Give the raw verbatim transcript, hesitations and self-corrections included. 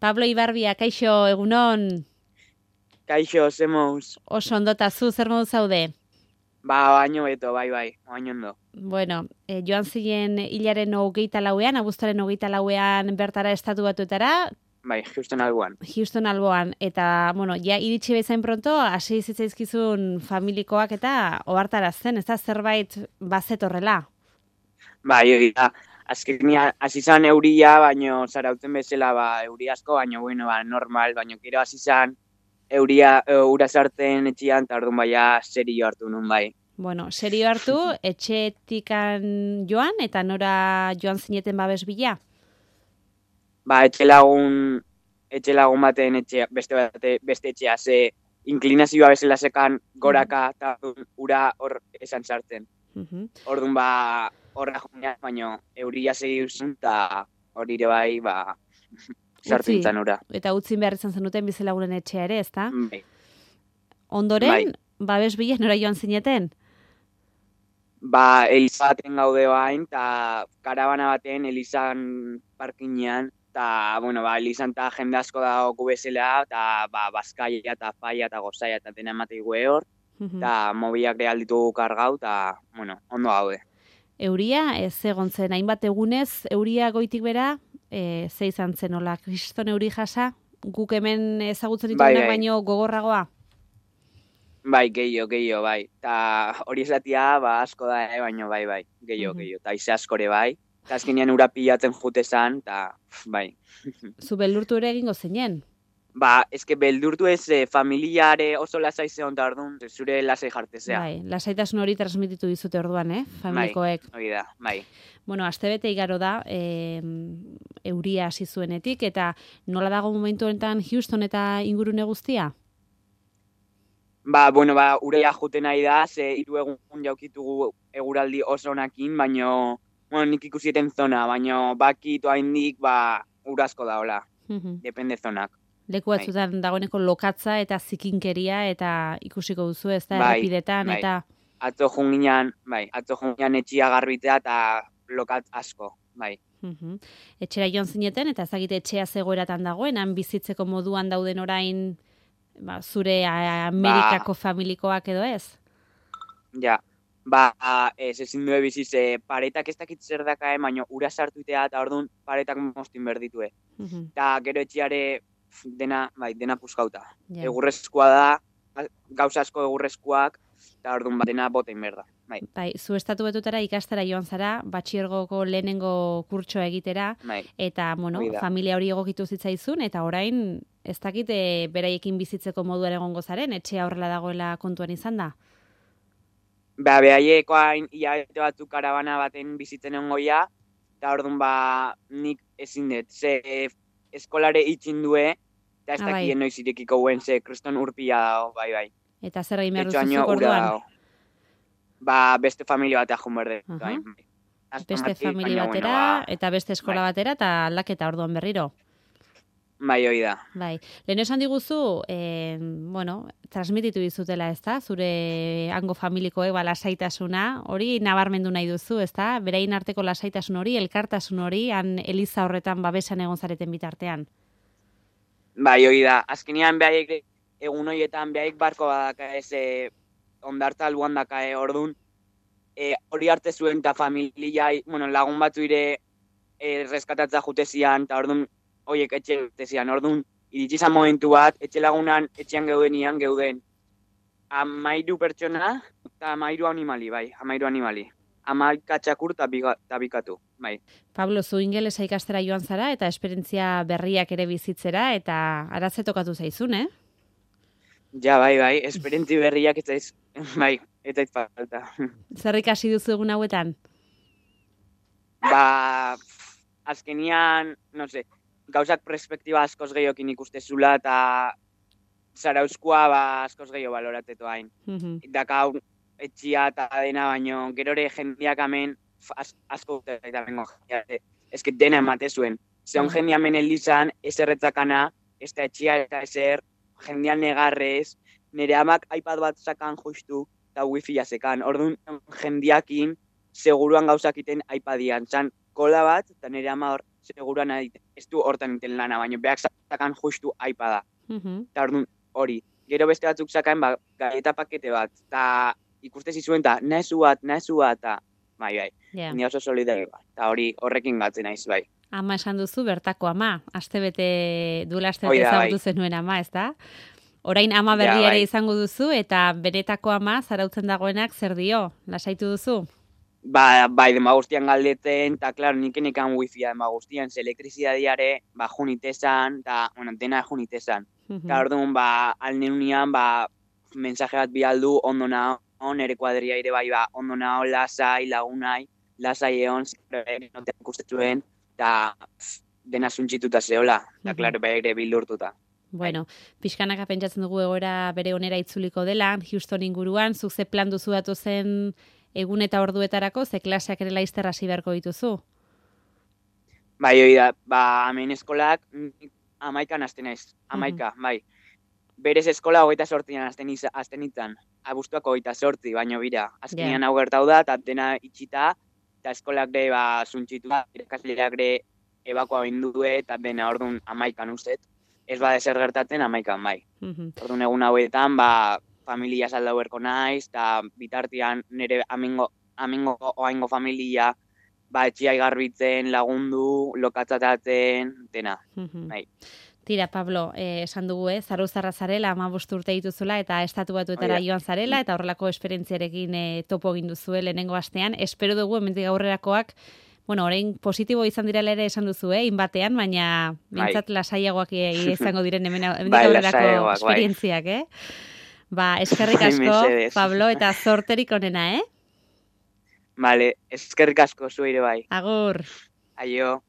Pablo Ibarbia, kaixo, egunon? Kaixo, zemouz. Oso ondota zu, zer modu zaude? Ba, baino beto, bai, bai, baino ondo. Bueno, eh, joan ziren hilaren hogeita lauean, abuztuaren hogeita lauean bertara estatu batuetara, Bai, Houston alboan. Houston alboan, eta, bueno, ja iritsi bezain pronto, hasi zitzaizkizun familikoak eta ohartarazten, ez da zerbait bazetorrela. Bai, hori da. Azkenia, hasi zan euria, baino zarauten bezala, ba, euri asko, baino, bueno, ba, normal, baino, kero hasi zan euria, e, ura sartzen etxian, eta orduan baia serio hartu nun, bai. Bueno, serio hartu, etxetikan joan, eta nora joan zineten babes bila? Ba, etxe lagun, etxe lagun baten etxea, beste, bate, beste etxea, ze inklinazioa bezala sekan goraka, eta ura hor esan sartzen. Uh-huh. Orduan, ba, horra joan, baino, euria segi duzun, eta hori ere bai, ba, sartzen zan ura. Eta utzin behar izan zenuten bizelagunen etxea ere, ezta? Bai. Ondoren, bai. babes bila nora joan zineten? Ba, Eliza baten gaude bain, eta karabana baten Elizan parkinean, eta, bueno, ba, Elizan eta jende asko dago bezala, eta, ba, Bazkaia eta Faia eta Gozaia eta dena ematei gue hor, eta mobiak real ditugu kargau, eta, bueno, ondo gaude. Euria, ez egon zen, hainbat egunez, euria goitik bera, e, ze izan zen, hola, kriston euri jasa, guk hemen ezagutzen ditugunak bai, bai. baino gogorragoa? Bai, gehiago, gehiago, bai. Ta hori esatia, ba, asko da, eh, baino, bai, bai, gehiago, gehiago. Ta ize askore, bai. Ta azkenean ura pilatzen jute zan, ta, bai. Zu beldurtu ere egingo zeinen? Ba, eske beldurtu ez, eh, familiare oso lasai zeon ta orduan, zure lasai jartezea. Bai, lasaitasun hori transmititu dizute orduan, eh, familikoek. Bai, hori da, bai. Bueno, astebete igaro da, e, euria hasi zuenetik, eta nola dago momentu honetan Houston eta ingurune guztia? Ba, bueno, ba, urea juten nahi da, ze hiru egun jaukitugu eguraldi oso onakin, baino, bueno, nik ikusieten zona, baino, bakit oaindik, ba, urazko da, hola. Uh-huh. Depende zonak. Leku batzutan dagoeneko lokatza eta zikinkeria eta ikusiko duzu, ez da, bai, errepidetan, bai. eta... Atzo junginan, bai, atzo junginan etxia garbitea eta lokat asko, bai. Uh-huh. Etxera joan zineten, eta ezagite etxea zegoeratan dagoen, han bizitzeko moduan dauden orain, ba, zure Amerikako ba, familikoak edo ez? Ja, ba, ez ezin due biziz, e, paretak ez dakit zer dakae, baino ura sartuitea eta orduan paretak mostin berditue. Uh-huh. Eta gero etxiare dena, bai, dena puskauta. Ja. Egurrezkoa da, gauza asko egurrezkoak, eta orduan bat dena botein berda. Bai. Bai, zu estatu betutara ikastara joan zara, batxiergoko lehenengo kurtsoa egitera, bai. Eta, bueno, familia hori egokitu zitzaizun, eta orain, ez dakit, e, beraiekin bizitzeko moduan egongo zaren, etxea horrela dagoela kontuan izan da? Ba, behaiekoain hilabete batzuk karabana baten bizitzen ongoia, eta orduan ba, nik ezin dut, ze eskolare itxin due, eta ez ah, dakien bai. Noiz irekiko guen, ze kriston urpila dago, bai, bai. Eta zer egin behar duzuzuk orduan? Ba, beste familia batea joan berde. Uh-huh. Bai. Beste familia batera, bueno, ba, eta beste eskola bai. Batera, eta aldaketa orduan berriro. Bai, hori da. Bai. Lehen esan diguzu, eh, bueno, transmititu dizutela, ez da? Zure hango familikoek, ba, lasaitasuna, hori nabarmendu nahi duzu, ez da? Berain arteko lasaitasun hori, elkartasun hori, han eliza horretan babesan egon zareten bitartean. Bai, hori da. Azkenean behaiek, egun horietan behaiek barko badaka ez, e, ondartza alboan dakae ordun, e, hori arte zuen eta familia, bueno, lagun batzu ire e, reskatatza jute zian, eta ordun horiek etxe jute zian, ordun iritsi zan momentu bat, etxe lagunan etxean geudenian geuden. Amairu pertsona eta amairu animali, bai, amairu animali. Amaika txakur eta bikatu, bai. Pablo, zu ingelesa ikastera joan zara, eta esperientzia berriak ere bizitzera, eta aratze tokatu zaizun, eh? Ja, bai, bai, esperientzi berriak ez daiz, bai, ez daiz falta. Zer ikasi duzu egun hauetan? Ba, azkenian, no sé, gauzak perspektiba askoz gehiokin ikustezula, eta zarauzkoa ba, askoz gehiago baloratetu hain. Uh-huh. Daka etxia eta dena, baino, gerore jendiak amen, asko eta bengo jendiak, ez que dena emate zuen. Zeon uh-huh. jendiak amen elizan, ez erretzakana, ez da etxia eta ezer, jendean negarrez, nire amak iPad bat sakan justu, eta wifi jasekan. Orduan, jendiakin, seguruan gauzakiten iPadian. Zan, kola bat, eta nire ama hor seguran ez du hortan iten lana, baina beak zakan justu aipa da. Mhm. Eta orduan hori, gero beste batzuk zakaen ba, galeta pakete bat, eta ikuste zizuen, eta nezu bat, nezu bat, eta bai, bai, Yeah. ni oso solidario bat, eta hori horrekin gatzen naiz, bai. Ama esan duzu bertako ama, astebete duela Hoi astebete da, ezagutu bai. zenuen ama, ez da? Orain ama berri Ja, ere bai. izango duzu, eta benetako ama zarautzen dagoenak zer dio, lasaitu duzu? Ba, bai, dema guztian galdetzen, eta, klaro, nik enekan wifia dema guztian, ze elektrizidadiare, ba, junitezan, eta, bueno, dena junitezan. Mhm. Eta orduan, ba, alneunian, ba, mensaje bat bialdu, ondo nao, nere kuadria ere bai, ba, ondo nao, lasai, lagunai, lasai egon, zerre, notean ikustetuen, eta pff, dena zuntxituta zehola, eta, Mhm. klaro, ere bildurtuta. Bueno, pixkanaka pentsatzen dugu egoera bere onera itzuliko dela, Houston inguruan, zuk ze plan duzu datu zen egun eta orduetarako, ze klaseak ere laizter hasi beharko dituzu? Bai, hori da, ba, hemen eskolak nik amaikan hasten naiz, amaika, bai. Berez eskola hogeita sortzian hasten iz- hasten itzan, abuztuak hogeita sortzi, baino bira. Azkenean hau gertau da, eta dena itxita, eta eskolak de, ba, zuntxitu da, irakasleak de, ebakoa bindue, eta dena orduan amaikan uzet. Ez bada zer gertatzen amaikan, bai. Mhm. Orduan egun hauetan, ba, familia saldau berko naiz, eta bitartean nire amingo, amingo oaingo familia, ba, etxiai garbitzen, lagundu, lokatzatatzen, dena, Mhm. bai. Tira, Pablo, eh, esan dugu, eh, zaruzarra zarela, hamabost urte dituzula, eta estatu batuetara Hori da. joan zarela, eta horrelako esperientziarekin eh, topo egin duzue lehenengo astean. Espero dugu, hemendik aurrerakoak, bueno, orain positibo izan direla ere esan duzu, eh, inbatean, baina Bai. mintzat lasaiagoak eh, izango diren hemen, hemendik Bai, aurrerako lasaiagoak, bai. esperientziak, eh? Ba, eskerrik Bai, asko, mesedez. Pablo, eta zorterik onena, eh? Vale, eskerrik asko zuire bai. Agur! Aio.